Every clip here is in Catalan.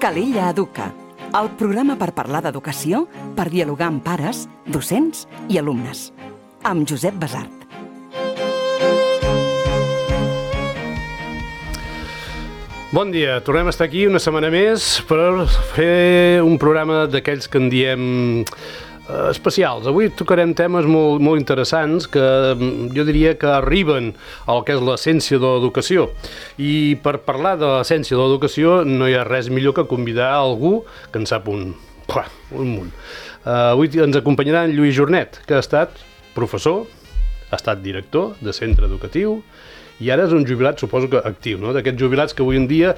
Calella Educa, el programa per parlar d'educació, per dialogar amb pares, docents i alumnes. Amb Josep Basart. Bon dia, tornem a estar aquí una setmana més per fer un programa d'aquells que en diem especials. Avui tocarem temes molt interessants que jo diria que arriben al que és l'essència de l'educació. I per parlar de l'essència de l'educació no hi ha res millor que convidar algú que en sap un munt. Avui ens acompanyarà en Lluís Jornet, que ha estat professor, ha estat director de centre educatiu i ara és un jubilat, suposo que actiu, no? D'aquests jubilats que avui en dia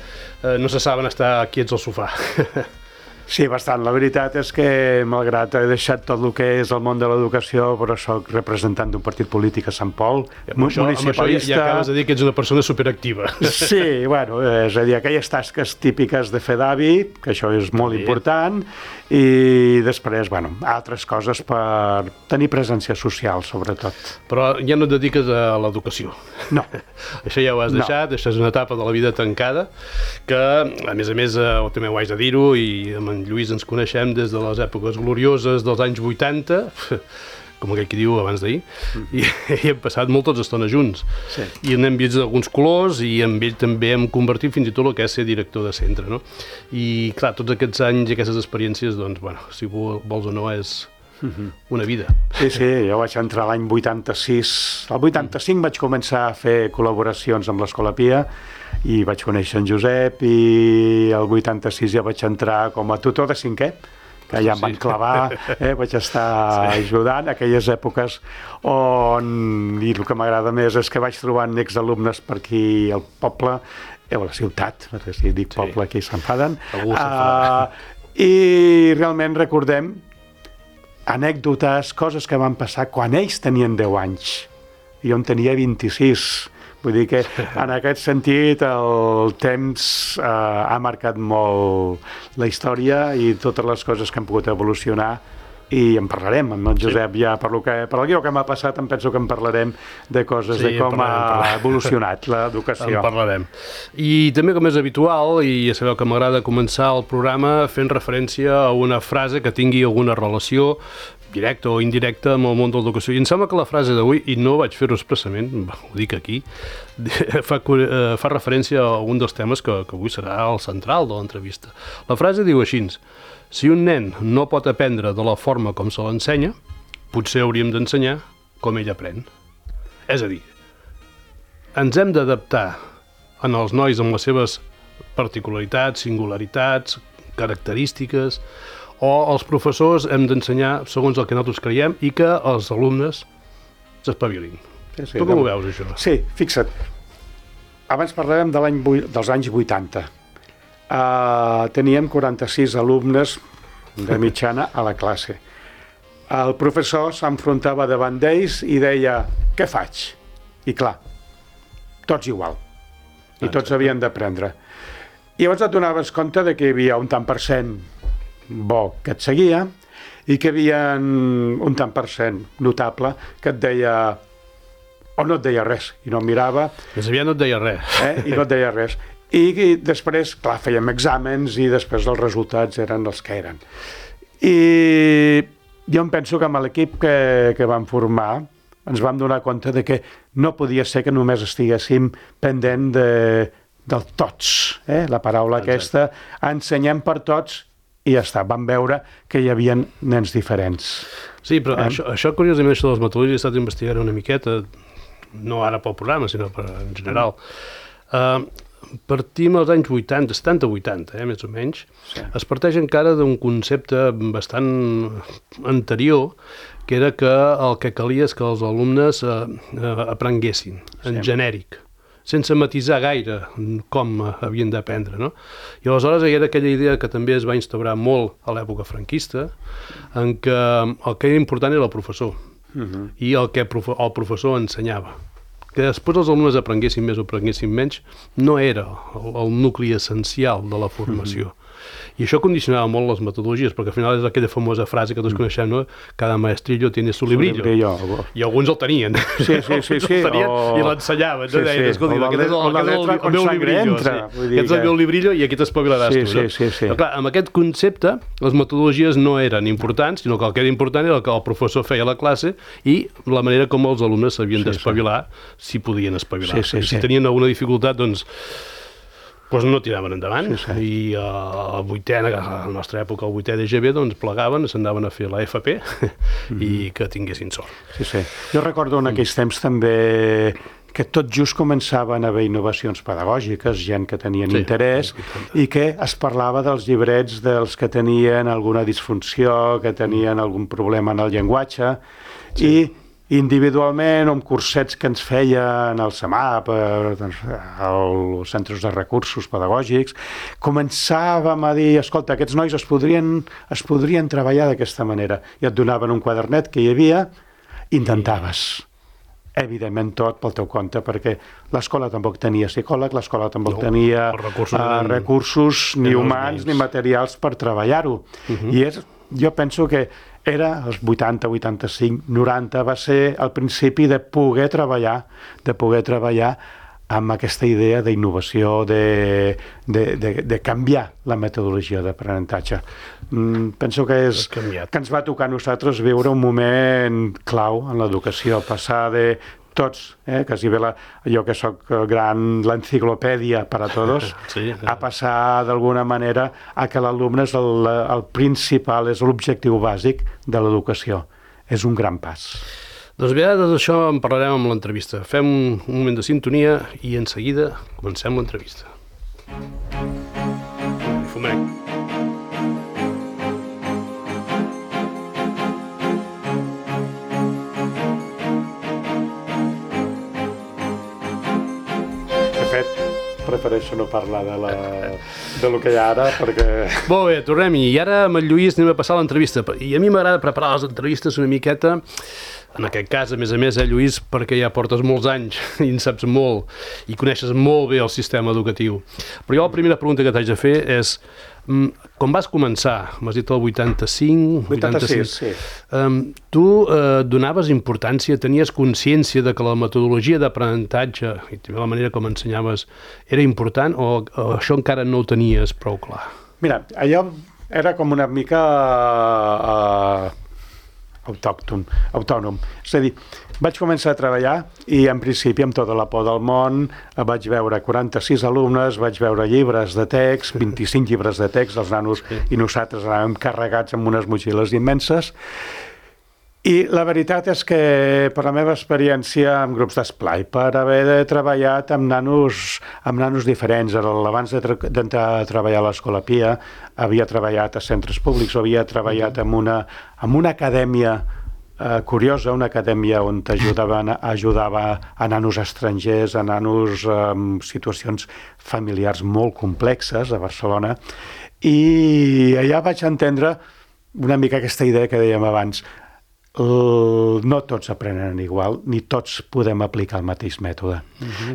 no se saben estar quiets al sofà. Sí, bastant. La veritat és que, malgrat he deixat tot el que és el món de l'educació, però soc representant d'un partit polític a Sant Pol, municipalista... Amb això ja acabes de dir que ets una persona superactiva. Sí, bueno, és a dir, aquelles tasques típiques de fer d'avi, que això és molt important, i després, bueno, altres coses per tenir presència social, sobretot. Però ja no et dediques a l'educació. No. Això ja ho has deixat, això és una etapa de la vida tancada, que, a més, també ho haig de dir-ho, i amb en Lluís ens coneixem des de les èpoques glorioses dels anys 80, com aquell que diu abans d'ahir, i hem passat moltes estones junts. Sí. I n'hem vist alguns colors, i amb ell també hem convertit fins i tot el que és ser director de centre, no? I, clar, tots aquests anys i aquestes experiències, doncs, bueno, si vols o no, és una vida. Sí, jo vaig entrar l'any 86. El 85 vaig començar a fer col·laboracions amb l'Escola Pia i vaig conèixer en Josep, i el 86 ja vaig entrar com a tutor de cinquè, que ja em van clavar, vaig estar ajudant aquelles èpoques on, i el que m'agrada més és que vaig trobant exalumnes per aquí al poble, a la ciutat, perquè si dic poble aquí s'enfaden, i realment recordem anècdotes, coses que van passar quan ells tenien 10 anys. Jo en tenia 26. Vull dir que en aquest sentit el temps ha marcat molt la història i totes les coses que han pogut evolucionar, i en parlarem amb en Josep ja per el que m'ha passat. Em penso que en parlarem de coses, de com ha evolucionat l'educació. En parlarem. I també, com és habitual, i ja sabeu que m'agrada començar el programa fent referència a una frase que tingui alguna relació directa o indirecta amb el món de l'educació. I em sembla que la frase d'avui, i no vaig fer-ho expressament, ho dic aquí, fa referència a un dels temes que avui serà el central de l'entrevista. La frase diu així: si un nen no pot aprendre de la forma com se l'ensenya, potser hauríem d'ensenyar com ell aprèn. És a dir, ens hem d'adaptar en els nois amb les seves particularitats, singularitats, característiques, o els professors hem d'ensenyar segons el que nosaltres creiem i que els alumnes s'espavilin. Sí, tu com ho veus, això? Sí, fixa't. Abans parlàvem dels anys 80. Teníem 46 alumnes de mitjana a la classe. El professor s'enfrontava davant d'ells i deia: què faig? I clar, tots igual. I tots havien d'aprendre. I llavors et donaves compte de que hi havia un tant per cent bo que et seguia i que hi havia un tant per cent notable que et deia, o no et deia res i no em mirava. Més aviat no et deia res. I no et deia res. I després, clar, fèiem exàmens i després els resultats eren els que eren. I jo em penso que amb l'equip que vam formar ens vam donar compte de que no podia ser que només estiguéssim pendent del tots, la paraula aquesta, ensenyem per tots i ja està. Vam veure que hi havia nens diferents. Sí, però això curiosament, això de les metodologies, he estat investigant una miqueta, no ara pel programa, sinó en general. Partim als anys 80, 70-80, més o menys. Sí. Es parteix encara d'un concepte bastant anterior, que era que el que calia és que els alumnes aprenguessin en genèric, sense matisar gaire com havien d'aprendre, no? I aleshores hi era aquella idea que també es va instaurar molt a l'època franquista, en què el que era important era el professor, i el que el professor ensenyava. Que després els alumnes aprenguessin més o aprenguessin menys no era el nucli essencial de la formació. I això condicionava molt les metodologies, perquè al final és aquella famosa frase que tots coneixem, no? Cada maestrillo tiene su librillo. I alguns el tenien. Sí. I l'ensenyaven, no? Deien, escolta, aquest és el meu librillo. Aquest és el meu librillo i aquí t'espavilaràs tu. Sí. Però clar, amb aquest concepte, les metodologies no eren importants, sinó que el que era important era el que el professor feia a la classe i la manera com els alumnes s'havien d'espavilar, si podien espavilar. Si tenien alguna dificultat, doncs no tiraven endavant. I a la nostra època, al 8è d'EGB, doncs plegaven, s'anaven a fer la FP i que tinguessin sort. Sí. Jo recordo en aquells temps també que tot just començaven a haver innovacions pedagògiques, gent que tenien interès, i que es parlava dels llibrets dels que tenien alguna disfunció, que tenien algun problema en el llenguatge, i individualment, amb cursets que ens feien al CEMAP, als centres de recursos pedagògics, començàvem a dir, escolta, aquests nois es podrien treballar d'aquesta manera, i et donaven un quadernet que hi havia, intentaves. Evidentment tot pel teu compte, perquè l'escola tampoc tenia psicòleg, l'escola tampoc tenia recursos ni humans ni materials per treballar-ho. I jo penso que era els 80, 85, 90, va ser el principi de poder treballar amb aquesta idea d'innovació, de canviar la metodologia d'aprenentatge. Penso que ens va tocar a nosaltres viure un moment clau en l'educació, passar de tots, quasi bé jo que soc l'enciclopèdia per a tots, a passar d'alguna manera a que l'alumne és el principal, és l'objectiu bàsic de l'educació. És un gran pas. Doncs bé, de tot això en parlarem amb l'entrevista. Fem un moment de sintonia i en seguida comencem l'entrevista. Fumem. Prefereixo no parlar de lo que hi ha ara, perquè... Molt bé, tornem-hi. I ara amb el Lluís anem a passar l'entrevista. I a mi m'agrada preparar les entrevistes una miqueta, en aquest cas, a més, Lluís, perquè ja portes molts anys i en saps molt i coneixes molt bé el sistema educatiu. Però jo la primera pregunta que t'haig de fer és, quan vas començar, m'has dit el 85... 86, sí. Tu donaves importància, tenies consciència de que la metodologia d'aprenentatge i també la manera com ensenyaves era important o això encara no ho tenies prou clar? Mira, allò era com una mica autònom. És a dir, vaig començar a treballar i en principi amb tota la por del món vaig veure 46 alumnes, vaig veure llibres de text, 25 llibres de text, els nanos i nosaltres anàvem carregats amb unes motxilles immenses. I la veritat és que per la meva experiència amb grups d'esplai, per haver treballat amb nanos diferents, abans d'entrar a treballar a l'Escola Pia, havia treballat a centres públics, havia treballat en una acadèmia curiosa, una acadèmia on ajudava a nanos estrangers, a nanos en situacions familiars molt complexes a Barcelona, i allà vaig entendre una mica aquesta idea que dèiem abans. No tots aprenen igual, ni tots podem aplicar el mateix mètode.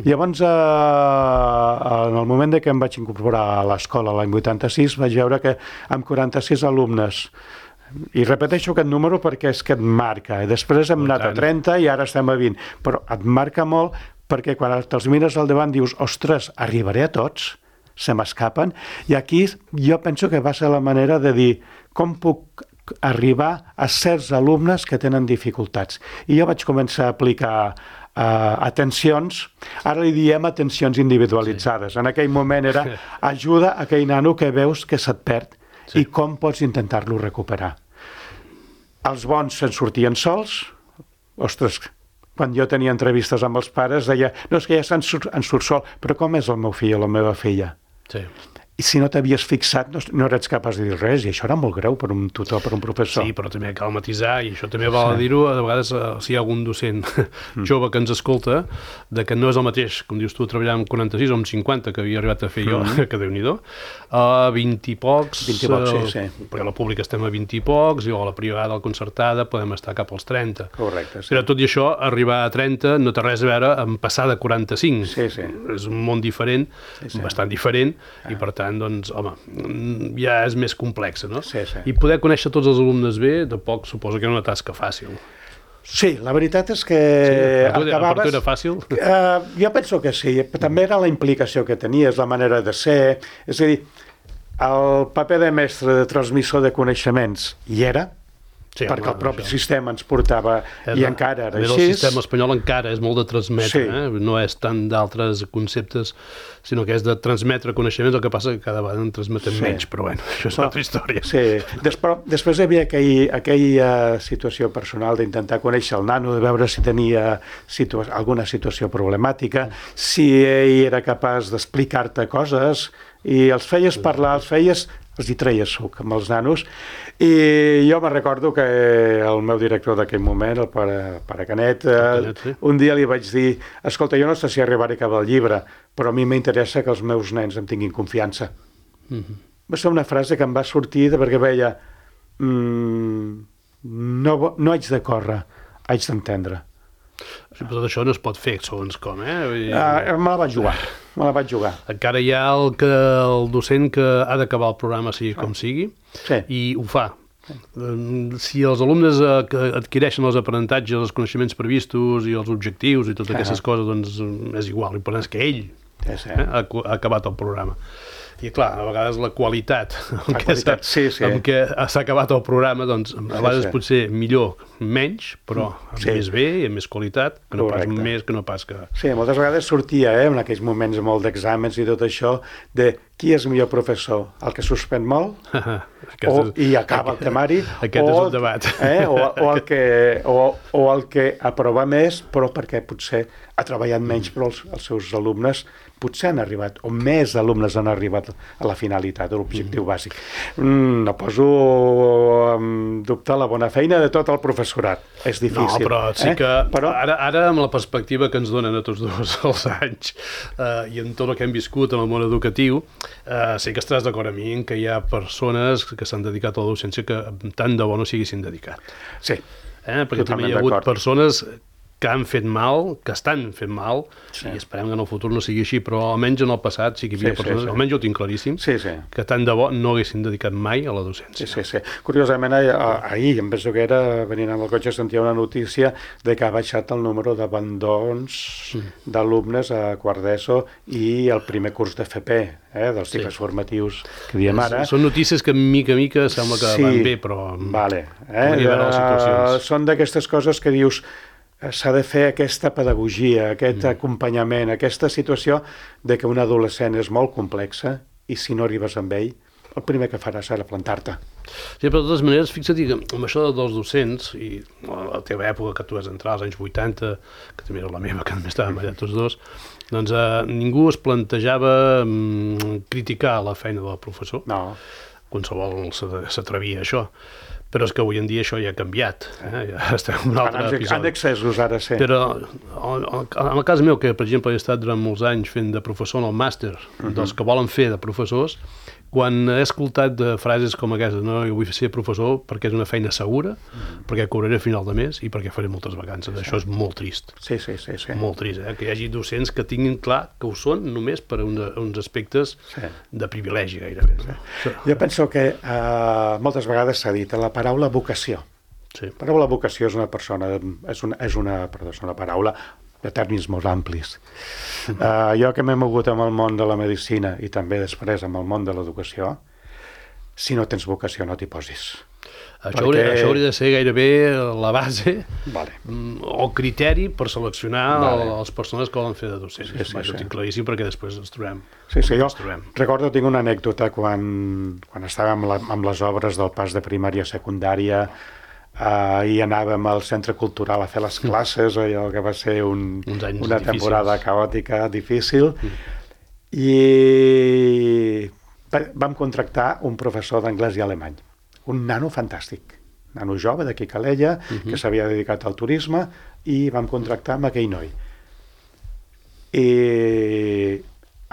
Llavors, en el moment que em vaig incorporar a l'escola l'any 86, vaig veure que amb 46 alumnes, i repeteixo aquest número perquè és que et marca, després hem anat a 30 i ara estem a 20, però et marca molt perquè quan te'ls mires al davant dius, ostres, arribaré a tots? Se m'escapen? I aquí jo penso que va ser la manera de dir, com puc arribar a certs alumnes que tenen dificultats. I jo vaig començar a aplicar atencions, ara li diem atencions individualitzades. En aquell moment era ajuda a aquell nano que veus que se't perd i com pots intentar-lo recuperar. Els bons se'n sortien sols. Ostres, quan jo tenia entrevistes amb els pares deia, no, és que ja en surt sol, però com és el meu fill o la meva filla? Sí. I si no t'havies fixat, no eres capaç de dir res, i això era molt greu per un tutor, per un professor. Sí, però també cal matisar, i això també val a dir-ho, a vegades si hi ha algun docent jove que ens escolta, de que no és el mateix, com dius tu, treballar amb 46 o amb 50, que havia arribat a fer jo, que Déu-n'hi-do, a 20 i pocs, perquè a la pública estem a 20 i pocs, i a la privada, a la concertada, podem estar cap als 30. Correcte, sí. Però tot i això, arribar a 30 no té res a veure amb passar de 45. Sí. És un món diferent, bastant diferent, i per tant tant, doncs, home, ja és més complexa, no? Sí, sí. I poder conèixer tots els alumnes bé, de poc suposo que era una tasca fàcil. Sí, la veritat és que Per tu era fàcil? Jo penso que sí, també era la implicació que tenies, la manera de ser, és a dir, el paper de mestre, de transmissor de coneixements, hi era, sí, perquè el propi sistema ens portava, i encara era així. El sistema espanyol encara és molt de transmetre, no és tant d'altres conceptes, sinó que és de transmetre coneixements, el que passa que cada vegada en transmetem menys, però bueno, això és una altra història. Sí, després hi havia aquella situació personal d'intentar conèixer el nano, de veure si tenia alguna situació problemàtica, si ell era capaç d'explicar-te coses, i els feies parlar, els hi treies suc amb els nanos, i jo me'n recordo que el meu director d'aquell moment, el pare Canet, un dia li vaig dir, escolta, jo no sé si arribaré a acabar el llibre, però a mi m'interessa que els meus nens em tinguin confiança. Va ser una frase que em va sortir perquè veia no haig de córrer, haig d'entendre. Però això no es pot fer segons com, Me la vaig jugar. Encara hi ha el docent que ha d'acabar el programa sigui com sigui, i ho fa. Si els alumnes adquireixen els aprenentatges, els coneixements previstos i els objectius i totes aquestes coses, doncs és igual. L'important és que ell ha acabat el programa. I clar, a vegades la qualitat amb què s'ha acabat el programa, doncs a vegades potser millor, menys, però més bé i amb més qualitat, que no pas més, que no pas que... Sí, moltes vegades sortia, en aquells moments molt d'exàmens i tot això, de qui és millor professor, el que suspèn molt i acaba el temari, aquest és un debat, o el que aprova més, però perquè potser ha treballat menys, però els seus alumnes potser han arribat, o més alumnes han arribat a la finalitat, a l'objectiu bàsic. No poso en dubte la bona feina de tot el professorat. És difícil. No, però sí que ara amb la perspectiva que ens donen a tots dos els anys i en tot el que hem viscut en el món educatiu, sí que estaràs d'acord amb mi en que hi ha persones que s'han dedicat a la docència que tant de bo no s'haguessin dedicat. Sí, perquè també hi ha hagut persones que han fet mal, que estan fent mal, i esperem que en el futur no sigui així, però almenys en el passat sí que hi havia persones, almenys jo ho tinc claríssim, que tant de bo no haguessin dedicat mai a la docència. Sí. Curiosament, ahir, em penso que era, venint amb el cotxe, sentia una notícia de que ha baixat el número d'abandons d'alumnes a quart d'ESO i el primer curs d'FP, dels cicles formatius que diem ara. Són notícies que mica a mica sembla que van bé, però podria haver les situacions. Són d'aquestes coses que dius s'ha de fer aquesta pedagogia, aquest acompanyament, aquesta situació de que un adolescent és molt complexa i si no arribes amb ell, el primer que farà serà plantar-te. Sí, però de totes maneres, fixa't que amb això dels docents, i a la teva època, que tu vas entrar als anys 80, que també era la meva, que només estàvem allà tots dos, doncs ningú es plantejava criticar la feina del professor. No. Qualsevol s'atrevia a això. Però és que avui en dia això ja ha canviat. Ja estem en un altre episodi. Han excessos ara, sí. Però en el cas meu, que per exemple he estat durant molts anys fent de professor en el màster, dels que volen fer de professors, quan he escoltat de frases com aquestes, no, jo vull ser professor perquè és una feina segura, perquè cobraré a final de mes i perquè faré moltes vacances. Això és molt trist. Sí. Molt trist, que hi hagi docents que tinguin clar que ho són només per uns aspectes de privilegi gairebé. Jo penso que moltes vegades s'ha dit la paraula vocació. La paraula vocació és una paraula de termes molt amplis. Jo que m'he mogut amb el món de la medicina i també després amb el món de l'educació, si no tens vocació no t'hi posis. Això hauria de ser gairebé la base o criteri per seleccionar les persones que volen fer de docents. Això ho tinc claríssim perquè després ens trobem. Jo recordo, tinc una anècdota quan estàvem amb les obres del pas de primària a secundària i anàvem al centre cultural a fer les classes, allò que va ser una temporada caòtica, difícil, i vam contractar un professor d'anglès i alemany, un nano fantàstic, nano jove d'aquí Calella, que s'havia dedicat al turisme, i vam contractar amb aquell noi. I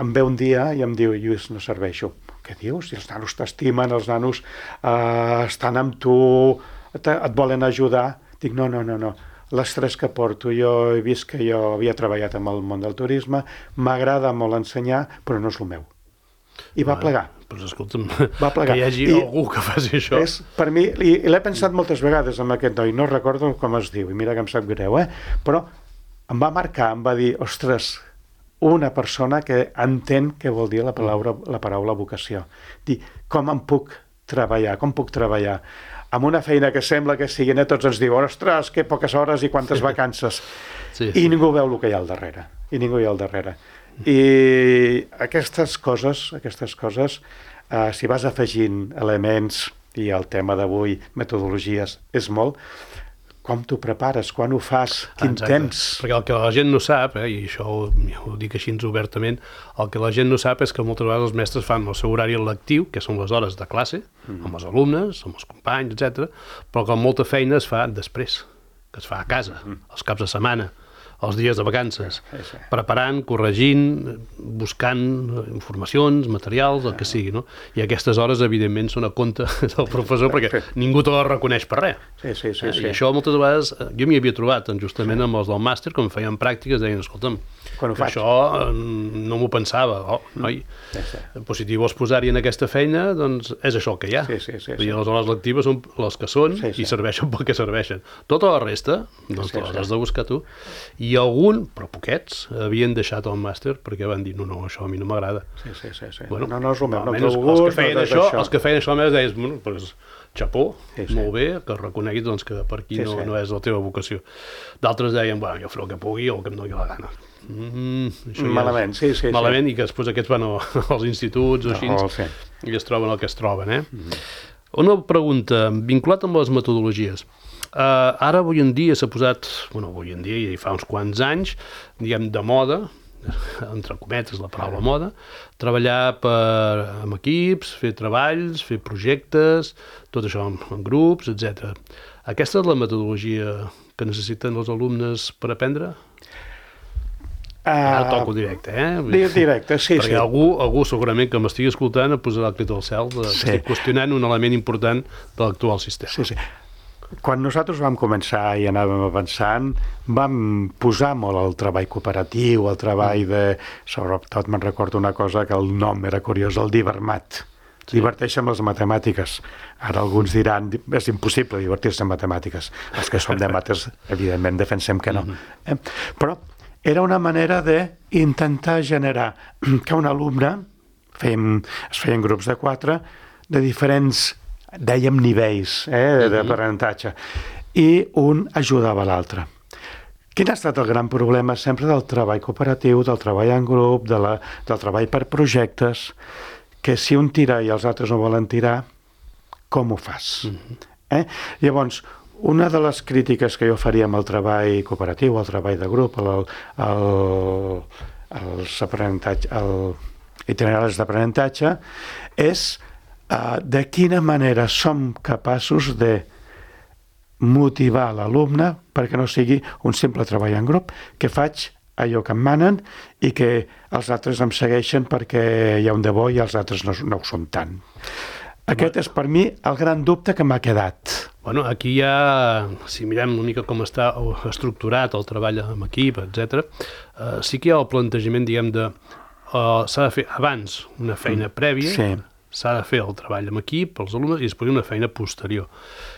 em ve un dia i em diu: Lluís, no serveixo. Què dius? Si els nanos t'estimen, els nanos estan amb tu, et volen ajudar. Dic, no. L'estrès que porto, jo he vist que jo havia treballat amb el món del turisme, m'agrada molt ensenyar, però no és el meu. I va plegar. Doncs escolta'm, Va plegar. que hi hagi algú que faci això. Per mi, i l'he pensat moltes vegades amb aquest noi, no recordo com es diu, i mira que em sap greu, però em va marcar, em va dir, ostres, una persona que entén què vol dir la paraula vocació. Dir, com puc treballar amb una feina que sembla que sigui, tots ens diuen, ostres, que poques hores i quantes vacances. I ningú veu el que hi ha al darrere. I aquestes coses, si vas afegint elements, i el tema d'avui, metodologies, és molt, com t'ho prepares, quan ho fas, quin temps... Perquè el que la gent no sap, i això ho dic així obertament, el que la gent no sap és que moltes vegades els mestres fan el seu horari lectiu, que són les hores de classe, amb els alumnes, amb els companys, etc. Però que molta feina es fa després, que es fa a casa, els caps de setmana, els dies de vacances, preparant, corregint, buscant informacions, materials, el que sigui, no? I aquestes hores, evidentment, són a compte del professor perquè ningú te les reconeix per res. I això moltes vegades, jo m'hi havia trobat justament amb els del màster, quan feien pràctiques, deien, escolta'm, això no m'ho pensava, noi, però si t'hi vols posar-hi en aquesta feina, doncs és això el que hi ha. I les hores lectives són les que són i serveixen pel que serveixen. Tota la resta, doncs les has de buscar tu. I algun, però poquets, havien deixat el màster perquè van dir, no, això a mi no m'agrada. No, no és el meu, no trobo gust, els que feien això, a més, deies, bueno, doncs, xapó, molt bé, que reconeguis que per aquí no és la teva vocació. D'altres deien, bueno, jo faré el que pugui o el que em doni la gana. Malament, malament, i que després aquests van als instituts o així i es troben el que es troben. Una pregunta, vinculat amb les metodologies. Ara, avui en dia, s'ha posat, avui en dia i fa uns quants anys, diguem, de moda, entre cometes la paraula moda, treballar amb equips, fer treballs, fer projectes, tot això en grups, etc. Aquesta és la metodologia que necessiten els alumnes per aprendre? Ara toco directe, Directe, sí. Perquè algú segurament que m'estigui escoltant posarà el crit al cel, estic qüestionant un element important de l'actual sistema. Sí. Quan nosaltres vam començar i anàvem avançant, vam posar molt el treball cooperatiu, el treball sobretot me'n recordo una cosa que el nom era curiós, el divermat. Diverteix amb les matemàtiques. Ara alguns diran, és impossible divertir-se amb matemàtiques. Els que som de mates, evidentment, defensem que no. Però era una manera d'intentar generar que un alumne, es feien grups de 4, de diferents, dèiem nivells d'aprenentatge, i un ajudava l'altre. Quin ha estat el gran problema sempre del treball cooperatiu, del treball en grup, del treball per projectes, que si un tira i els altres no volen tirar, com ho fas? Llavors, una de les crítiques que jo faria amb el treball cooperatiu, el treball de grup, els itineraris d'aprenentatge, és de quina manera som capaços de motivar l'alumne perquè no sigui un simple treball en grup, que faig allò que em manen i que els altres em segueixen perquè hi ha un de bo i els altres no ho són tant. Aquest és per mi el gran dubte que m'ha quedat. Bueno, aquí ja, si mirem una mica com està estructurat el treball en equip, etc., sí que hi ha el plantejament, diguem, s'ha de fer abans una feina prèvia, s'ha de fer el treball amb equip, els alumnes, i després una feina posterior.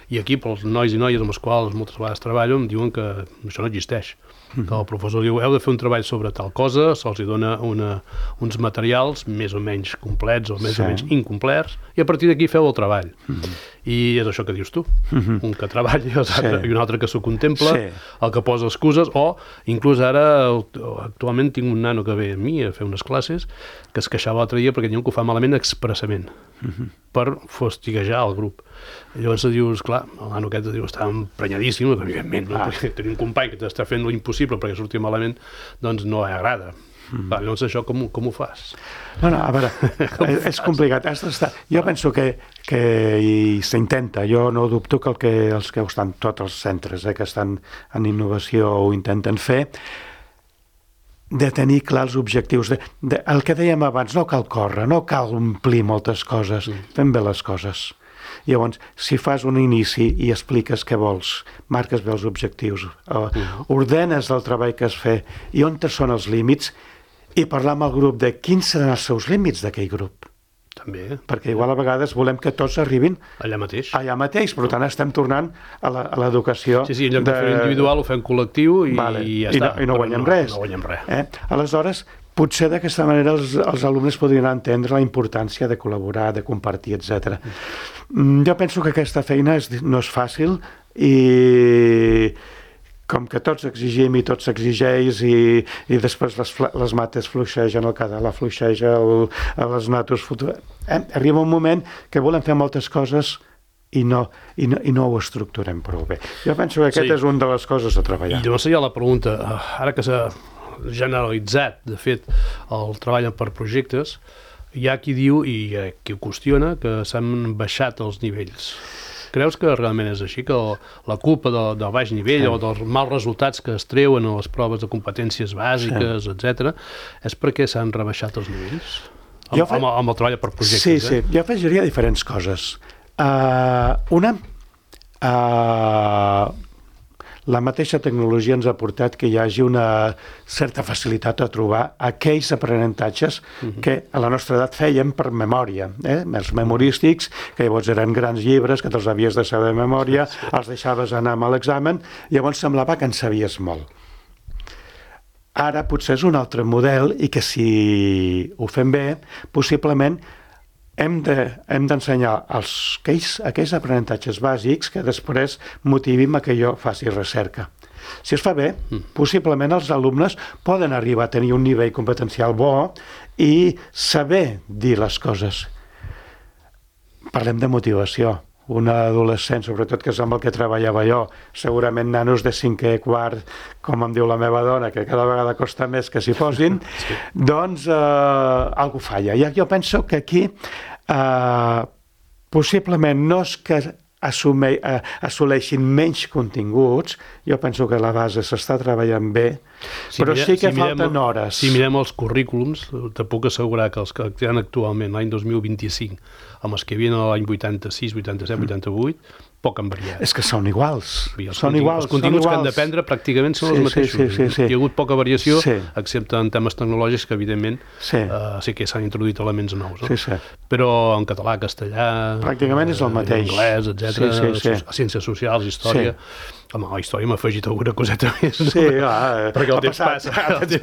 I aquí, pels nois i noies amb els quals moltes vegades treballo, em diuen que això no existeix. Que el professor diu, heu de fer un treball sobre tal cosa, se'ls dona uns materials més o menys complets o més o menys incomplets, i a partir d'aquí feu el treball. I és això que dius tu, un que treballa i un altre que s'ho contempla, el que posa excuses, o inclús ara, actualment tinc un nano que ve a mi a fer unes classes, que es queixava l'altre dia perquè diuen que ho fa malament expressament, per fastiguejar el grup. I llavors dius, clar, el nano aquest està emprenyadíssim, evidentment, perquè tenir un company que t'està fent l'impossible perquè surti malament, doncs no agrada. Llavors això com ho fas? No, a veure, és complicat. Jo penso que s'intenta, jo no dubto que els que estan tots els centres que estan en innovació ho intenten fer, de tenir clars objectius. El que dèiem abans, no cal córrer, no cal omplir moltes coses, fem bé les coses. Llavors, si fas un inici i expliques què vols, marques bé els objectius, ordenes el treball que has fet i on són els límits, i parlar amb el grup de quins seran els seus límits d'aquell grup. També. Perquè igual a vegades volem que tots arribin Allà mateix. Per tant estem tornant a l'educació. Sí, en lloc de fer individual ho fem col·lectiu i ja està. I no guanyem res. No guanyem res. Aleshores, potser d'aquesta manera els alumnes podrien entendre la importància de col·laborar, de compartir, etc. Jo penso que aquesta feina no és fàcil i com que tots exigim i tots s'exigeix i després les mates fluixegen, el català fluixeja, les natos arriba un moment que volem fer moltes coses i no ho estructurem prou bé. Jo penso que aquest és una de les coses a treballar. I llavors hi ha la pregunta, ara que s'ha generalitzat, de fet, el treball per projectes, hi ha qui diu i qui ho qüestiona que s'han baixat els nivells. Creus que realment és així, que la culpa del baix nivell o dels mals resultats que es treuen a les proves de competències bàsiques, etc., és perquè s'han rebaixat els nivells? Amb el treball per projectes. Sí, jo afegiria diferents coses. Una, la mateixa tecnologia ens ha portat que hi hagi una certa facilitat a trobar aquells aprenentatges que a la nostra edat fèiem per memòria, els memorístics, que llavors eren grans llibres que te'ls havies de saber de memòria, els deixaves anar amb l'examen, llavors semblava que en sabies molt. Ara potser és un altre model i que si ho fem bé, possiblement hem d'ensenyar aquells aprenentatges bàsics que després motivin a que jo faci recerca. Si es fa bé, possiblement els alumnes poden arribar a tenir un nivell competencial bo i saber dir les coses. Parlem de motivació. Un adolescent, sobretot que és amb el que treballava jo, segurament nanos de 5è, quart, com em diu la meva dona, que cada vegada costa més que s'hi posin, doncs algú falla. Jo penso que aquí possiblement no és que assoleixin menys continguts, jo penso que la base s'està treballant bé, però sí que falten hores. Si mirem els currículums, te puc assegurar que els que hi ha actualment, l'any 2025, amb els que hi havia l'any 86, 87, 88, poc han variat. És que són iguals. Els continguts que han d'aprendre pràcticament són els mateixos. Hi ha hagut poca variació, excepte en temes tecnològics que, evidentment, sí que s'han introduït elements nous. Però en català, castellà, pràcticament és el mateix. Anglès, etc., ciències socials, història. Home, a la història m'ha afegit alguna coseta més. Sí, perquè el temps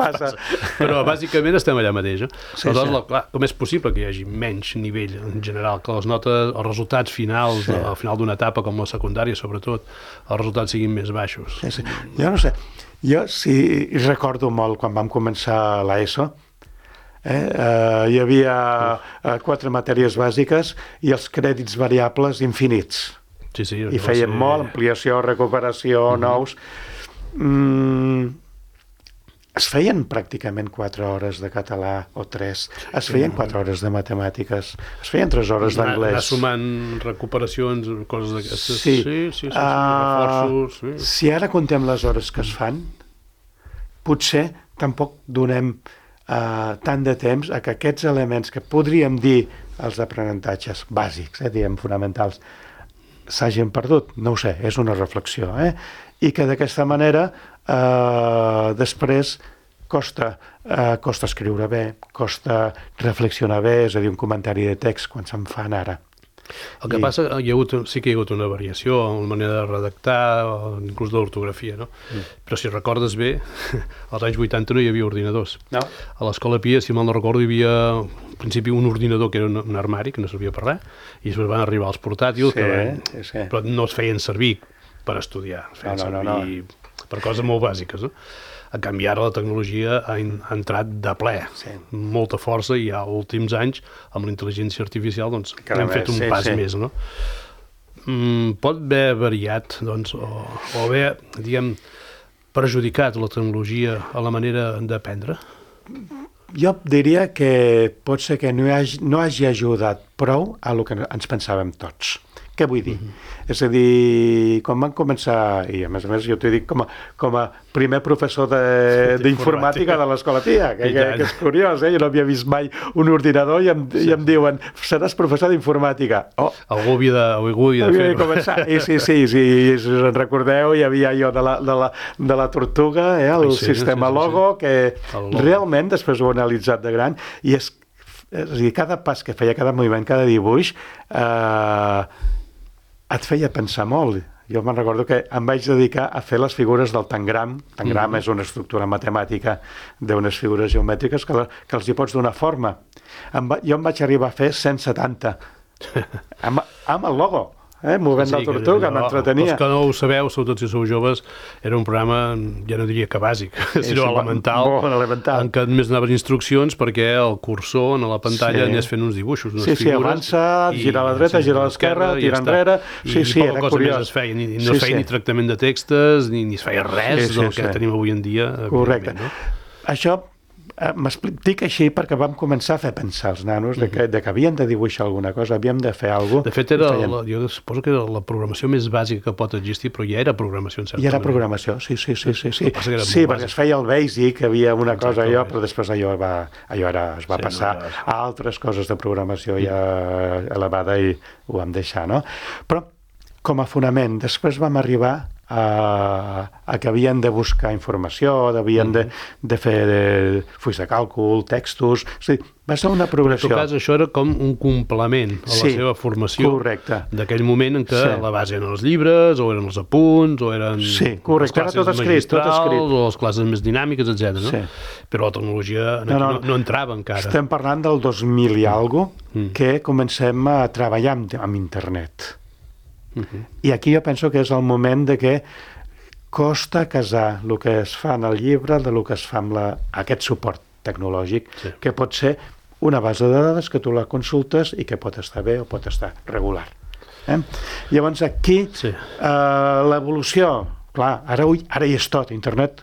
passa. Però bàsicament estem allà mateix. Aleshores, clar, com és possible que hi hagi menys nivell en general, que les notes, els resultats finals, al final d'una etapa com la secundària, sobretot, els resultats siguin més baixos? Jo no sé. Jo sí recordo molt quan vam començar l'ESO, hi havia 4 matèries bàsiques i els crèdits variables infinits. I feien molt, ampliació, recuperació, nous. Es feien pràcticament 4 hores de català o 3, es feien 4 hores de matemàtiques, es feien 3 hores d'anglès. Anar sumant recuperacions, coses d'aquestes. Sí. Reforços. Si ara contem les hores que es fan, potser tampoc donem tant de temps a que aquests elements que podríem dir els aprenentatges bàsics, diguem, fonamentals, s'hagin perdut. No ho sé, és una reflexió. I que d'aquesta manera després costa escriure bé, costa reflexionar bé, és a dir, un comentari de text quan se'n fan ara. El que passa, sí que hi ha hagut una variació en la manera de redactar, inclús de l'ortografia, no? Però si recordes bé, als anys 80 no hi havia ordinadors. No. A l'Escola Pia, si mal no recordo, hi havia al principi un ordinador que era un armari, que no servia per res, i després van arribar els portàtils, però no es feien servir per estudiar, es feien servir per coses molt bàsiques, no? A canvi, ara la tecnologia ha entrat de ple, molta força, i als últims anys, amb la intel·ligència artificial, doncs, hem fet un pas més, no? Pot haver variat, doncs, o haver, diguem, perjudicat la tecnologia a la manera d'aprendre? Jo diria que pot ser que no hagi ajudat prou a el que ens pensàvem tots. Què vull dir? És a dir, quan van començar, i a més jo t'ho dic com a primer professor d'informàtica de l'Escola Pia, que és curiós, jo no havia vist mai un ordinador i em diuen, seràs professor d'informàtica. Algú havia de fer-ho. Sí, si us en recordeu, hi havia jo de la Tortuga, el sistema Logo, que realment després ho he analitzat de gran, i És a dir, cada pas que feia, cada moviment, cada dibuix, et feia pensar molt. Jo me'n recordo que em vaig dedicar a fer les figures del tangram. Tangram és una estructura matemàtica d'unes figures geomètriques que els hi pots donar forma. Jo em vaig arribar a fer 170 amb el logo. Movent la tortuga, m'entretenia. Els que no ho sabeu, sobretot si sou joves, era un programa, ja no diria que bàsic, sinó elemental, en què només anaves instruccions perquè el cursor a la pantalla anés fent uns dibuixos, unes figures. Sí, avança, gira a la dreta, gira a l'esquerra, tira enrere. I poca cosa més es feia, no es feia ni tractament de textos, ni es feia res del que tenim avui en dia. Correcte. Això dic així perquè vam començar a fer pensar els nanos de que havien de dibuixar alguna cosa, havíem de fer alguna cosa. De fet, jo suposo que era la programació més bàsica que pot existir, però ja era programació en certa manera. Ja era programació, sí. Sí, perquè es feia el Basic, havia una cosa allò, però després allò es va passar a altres coses de programació ja elevada i ho vam deixar, no? Però com a fonament, després vam arribar a que havien de buscar informació, havien de fer fulls de càlcul, textos... O sigui, va ser una progressió. En tot cas, això era com un complement a la seva formació d'aquell moment en què la base eren els llibres, o eren els apunts, o eren les classes magistrals, o les classes més dinàmiques, etc. Però la tecnologia no entrava encara. Estem parlant del 2000 i alguna cosa que comencem a treballar amb internet. I aquí jo penso que és el moment de que costa casar el que es fa en el llibre del que es fa amb aquest suport tecnològic, que pot ser una base de dades que tu la consultes i que pot estar bé o pot estar regular. Llavors aquí l'evolució, clar, ara hi és tot, internet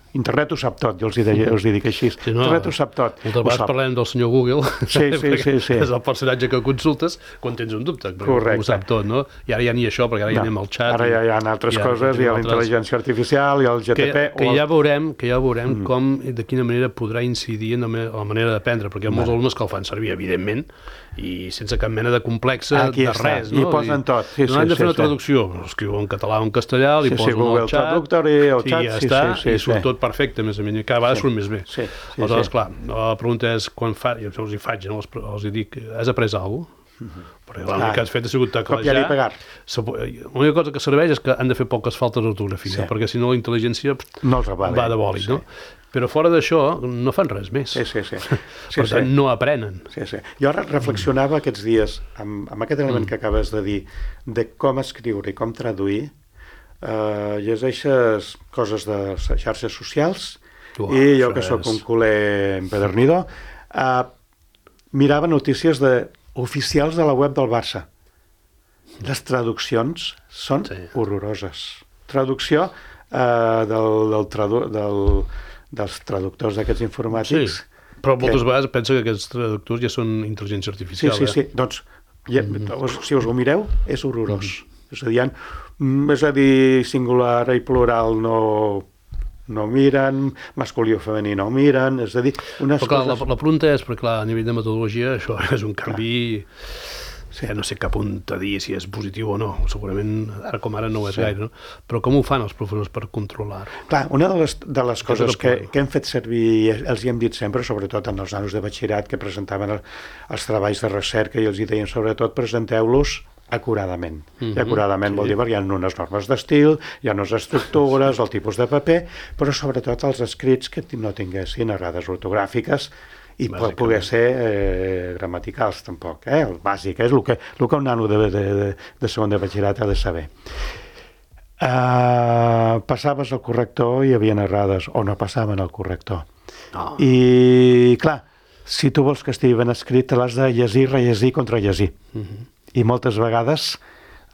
ho sap tot, jo els hi dic així, internet ho sap tot. Moltes vegades parlem del senyor Google, és el personatge que consultes quan tens un dubte, perquè ho sap tot, no? I ara ja ni això, perquè ara ja anem al xat. Ara ja hi ha altres coses, hi ha la intel·ligència artificial, hi ha el GTP... Que ja veurem com i de quina manera podrà incidir en la manera d'aprendre, perquè hi ha molts alumnes que el fan servir, evidentment, i sense cap mena de complexa de res, no? I posen tot. No han de fer una traducció, escriu en català o en castellà, li posen el xat, i ja està, i surt tot perfecte, més o menys, cada vegada surt més bé. Aleshores, clar, la pregunta és, quan jo els hi faig, els hi dic, has après alguna cosa? Perquè l'únic que has fet ha sigut teclejar. L'única cosa que serveix és que han de fer poques faltes d'ortografia, perquè si no la intel·ligència va de bòlit, no? Però fora d'això no fan res més. Per tant, no aprenen. Jo reflexionava aquests dies amb aquest element que acabes de dir, de com escriure i com traduir. Llegeixes coses de xarxes socials i jo que sóc un culer empedernido mirava notícies oficials de la web del Barça. Les traduccions són horroroses. Traducció dels traductors d'aquests informàtics. Però moltes vegades penso que aquests traductors ja són intel·ligència artificial. Sí. Doncs, si us ho mireu, és horrorós. És a dir, singular i plural no miren, masculí o femení no miren, és a dir... Però clar, la pregunta és, perquè clar, a nivell de metodologia això és un canvi... No sé cap on te dir si és positiu o no, segurament ara com ara no ho és gaire, no? Però com ho fan els professors per controlar-ho? Clar, una de les coses que hem fet servir, els hi hem dit sempre, sobretot en els nanos de batxillerat que presentaven els treballs de recerca i els hi deien sobretot presenteu-los acuradament. I acuradament vol dir perquè hi ha unes normes d'estil, hi ha unes estructures, el tipus de paper, però sobretot els escrits que no tinguessin errades ortogràfiques i pot poder ser gramaticals tampoc, el bàsic, és el que un nano de segon de batxillerat ha de saber. Passaves el corrector i hi havia errades, o no passaven el corrector. I clar, si tu vols que estigui ben escrit, l'has de llegir, rellegir, contrallegir. I moltes vegades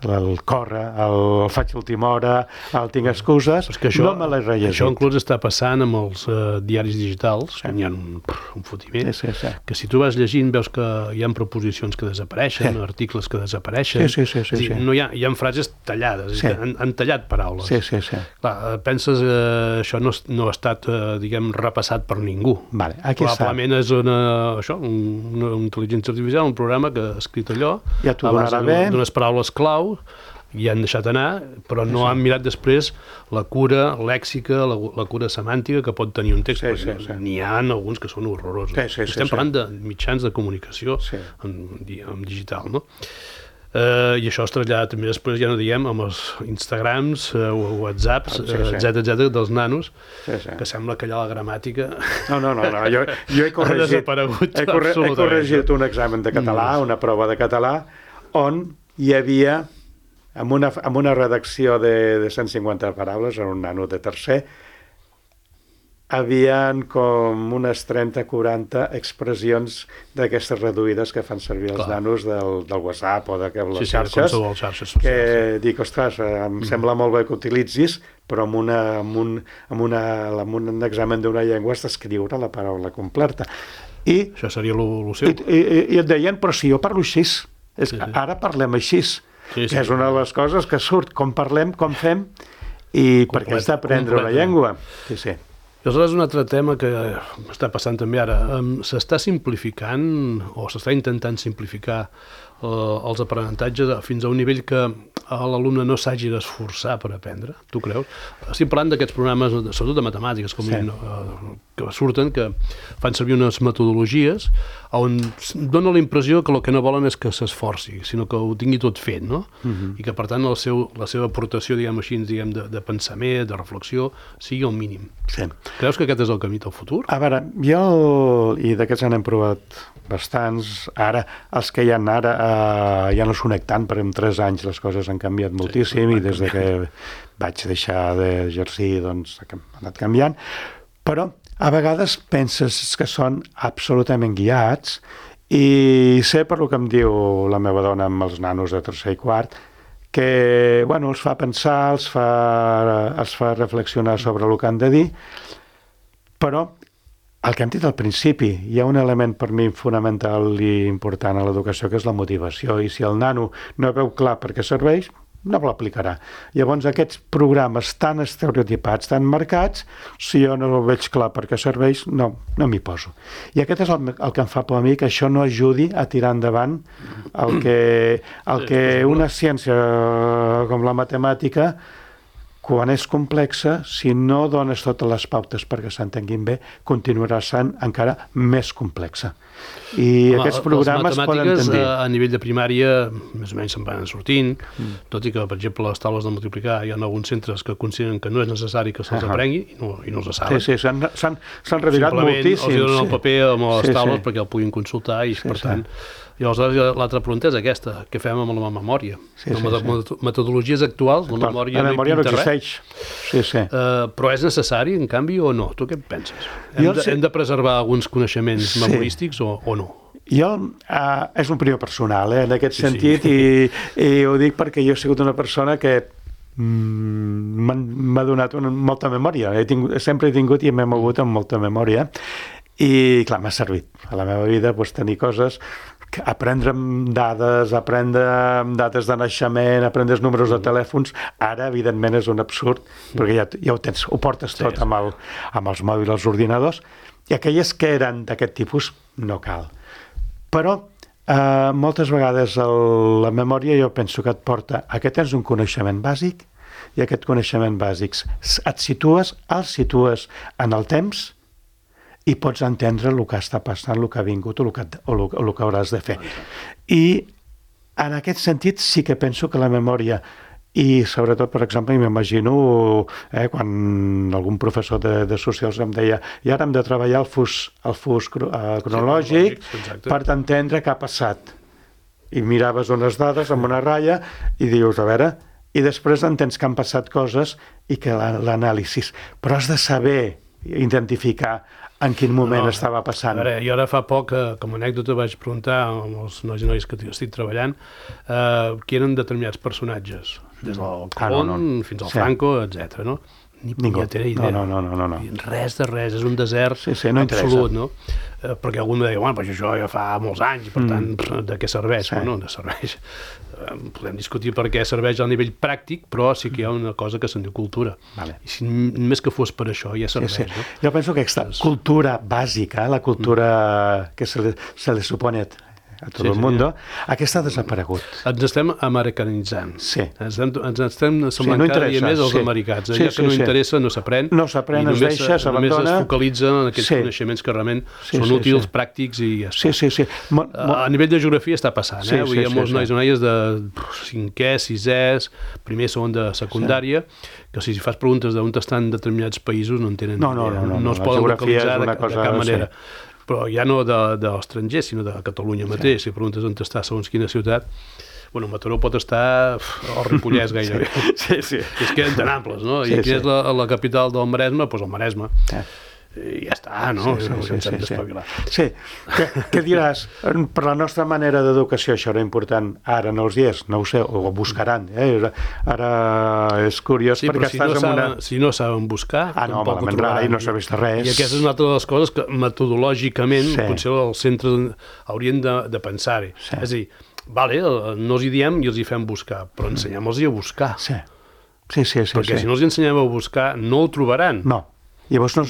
el corre, el faig a última hora, el tinc excuses, no me l'he rellegit. Això inclús està passant amb els diaris digitals, on hi ha un fotiment, que si tu vas llegint veus que hi ha preposicions que desapareixen, articles que desapareixen, hi ha frases tallades, han tallat paraules. Clar, penses que això no ha estat, diguem, repassat per ningú. Probablement és una intel·ligència artificial, un programa que ha escrit allò, a base d'unes paraules clau, i han deixat anar, però no han mirat després la cura lèxica, la cura semàntica que pot tenir un text. N'hi ha alguns que són horrorosos. Estem parlant de mitjans de comunicació en digital, no? I això es trasllada també després, ja no diguem, amb els Instagrams, Whatsapps, etc dels nanos, que sembla que allà la gramàtica... No, jo he corregit un examen de català, una prova de català, on hi havia, amb una redacció de 150 paraules, en un nano de tercer, havien com unes 30-40 expressions d'aquestes reduïdes que fan servir els nanos del WhatsApp o de les xarxes, que dic, ostres, em sembla molt bé que utilitzis, però amb un examen d'una llengua has d'escriure la paraula completa. Això seria el seu. I et deien, però si jo parlo així, ara parlem així, que és una de les coses que surt, com parlem, com fem, i perquè has d'aprendre una llengua. Sí. I aleshores un altre tema que està passant també ara, s'està simplificant o s'està intentant simplificar els aprenentatges fins a un nivell que l'alumne no s'hagi d'esforçar per aprendre, tu creus? Estic parlant d'aquests programes, sobretot de matemàtiques, que surten, que fan servir unes metodologies on dona la impressió que el que no volen és que s'esforci, sinó que ho tingui tot fet, no? I que, per tant, la seva aportació, diguem així, de pensament, de reflexió, sigui el mínim. Creus que aquest és el camí del futur? A veure, i d'aquests n'hem provat bastants. Ara, els que hi ha ara ja no s'ho nec tant, perquè en 3 anys les coses han canviat moltíssim i des que vaig deixar d'exercir doncs ha anat canviant, però a vegades penses que són absolutament guiats i sé per el que em diu la meva dona amb els nanos de tercer i quart que els fa pensar, els fa reflexionar sobre el que han de dir, però el que hem dit al principi, hi ha un element per mi fonamental i important a l'educació, que és la motivació, i si el nano no veu clar per què serveix, no l'aplicarà. Llavors aquests programes tan estereotipats, tan marcats, si jo no veig clar per què serveix, no m'hi poso. I aquest és el que em fa por a mi, que això no ajudi a tirar endavant el que una ciència com la matemàtica, quan és complexa, si no dones totes les pautes perquè s'entenguin bé, continuarà sent encara més complexa. I aquests programes poden tendir... Les matemàtiques a nivell de primària més o menys se'n van sortint, tot i que, per exemple, les taules de multiplicar hi ha alguns centres que consideren que no és necessari que se'ls aprengui i no se saben. Sí, s'han revirat moltíssim. Simplement els donen el paper amb les taules perquè el puguin consultar i, per tant... I aleshores l'altra pregunta és aquesta, què fem amb la memòria? Metodologies actuals, la memòria no existeix. Però és necessari, en canvi, o no? Tu què penses? Hem de preservar alguns coneixements memorístics o no? És un opinió personal, en aquest sentit, i ho dic perquè jo he sigut una persona que m'ha donat molta memòria. Sempre he tingut i m'he mogut amb molta memòria. I, clar, m'ha servit a la meva vida tenir coses, aprendre dades, aprendre dates de naixement, aprendre els números de telèfons. Ara, evidentment, és un absurd, perquè ja ho tens, ho portes tot amb els mòbils, els ordinadors, i aquelles que eren d'aquest tipus no cal. Però moltes vegades la memòria jo penso que et porta a que tens un coneixement bàsic, i aquest coneixement bàsic el situes en el temps, i pots entendre el que està passant, el que ha vingut o el que hauràs de fer. I en aquest sentit sí que penso que la memòria, i sobretot, per exemple, m'imagino quan algun professor de socials em deia i ara hem de treballar el fus cronològic per entendre què ha passat. I miraves unes dades amb una ratlla i dius, a veure, i després entens que han passat coses i que l'anàlisi. Però has de saber identificar en quin moment estava passant. A veure, jo ara fa poc, com a anècdota, vaig preguntar als nois i noies que estic treballant qui eren determinats personatges, des del Colón fins al Franco, etc. Ni punyetera idea. No. Res de res, és un desert absolut, no? Perquè algú em deia, bueno, però això ja fa molts anys, per tant, de què serveix? Bueno, de serveix. Podem discutir per què serveix a nivell pràctic, però sí que hi ha una cosa que se'n diu cultura. I si només que fos per això ja serveix, no? Jo penso que aquesta cultura bàsica, la cultura que se le supone a tot el món, aquesta ha desaparegut. Ens estem americanitzant. Sí. Ens estem semblant cada dia més els americans. Allò que no interessa no s'aprèn. No s'aprèn, es deixa, s'abandona. Només es focalitza en aquells coneixements que realment són útils, pràctics i ja està. Sí. A nivell de geografia està passant. Avui hi ha molts nois i noies de 5è, 6è, primer, segon de secundària, que si fas preguntes d'on estan determinats països no en tenen idea. No es poden localitzar de cap manera. Però ja no de l'estranger, sinó de Catalunya mateix. Si preguntes on està segons quina ciutat, bueno, Mataró pot estar al Ripollès gairebé. Sí. És que eren tan amples, no? I quina és la capital del Maresme? Doncs el Maresme. I ja està, no? Sí. Què diràs? Per la nostra manera d'educació això era important. Ara no els hi és, no ho sé, ho buscaran. Ara és curiós perquè estàs en una... Si no saben buscar, tampoc ho trobaran. No s'ha vist res. I aquesta és una altra de les coses que metodològicament potser els centres haurien de pensar-hi. És a dir, vale, no els hi diem i els hi fem buscar, però ensenyem-los a buscar. Sí. Perquè si no els ensenyem a buscar, no ho trobaran. No. Llavors no